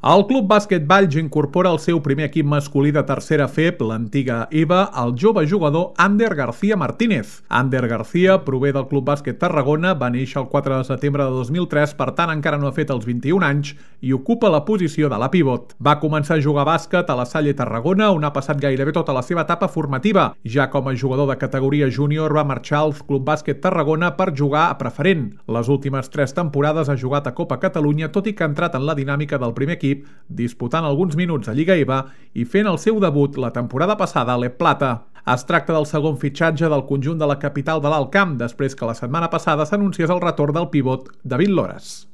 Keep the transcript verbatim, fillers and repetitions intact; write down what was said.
El Club Bàsquet Valls incorpora el seu primer equip masculí de tercera F E P, l'antiga E V A, el jove jugador Ander García Martínez. Ander García prové del Club Bàsquet Tarragona, va néixer el quatre de setembre de dos mil tres, per tant encara no ha fet els vint-i-un anys i ocupa la posició de la pivot. Va començar a jugar bàsquet a la Salle Tarragona, on ha passat gairebé tota la seva etapa formativa. Ja com a jugador de categoria júnior va marxar al Club Bàsquet Tarragona per jugar a preferent. Les últimes tres temporades ha jugat a Copa Catalunya, tot i que ha entrat en la dinàmica del primer equip, disputant alguns minuts a Lliga E V A i fent el seu debut la temporada passada a l'E Plata. Es tracta del segon fitxatge del conjunt de la capital de l'Alt Camp, després que la setmana passada s'anunciés el retorn del pivot David Lores.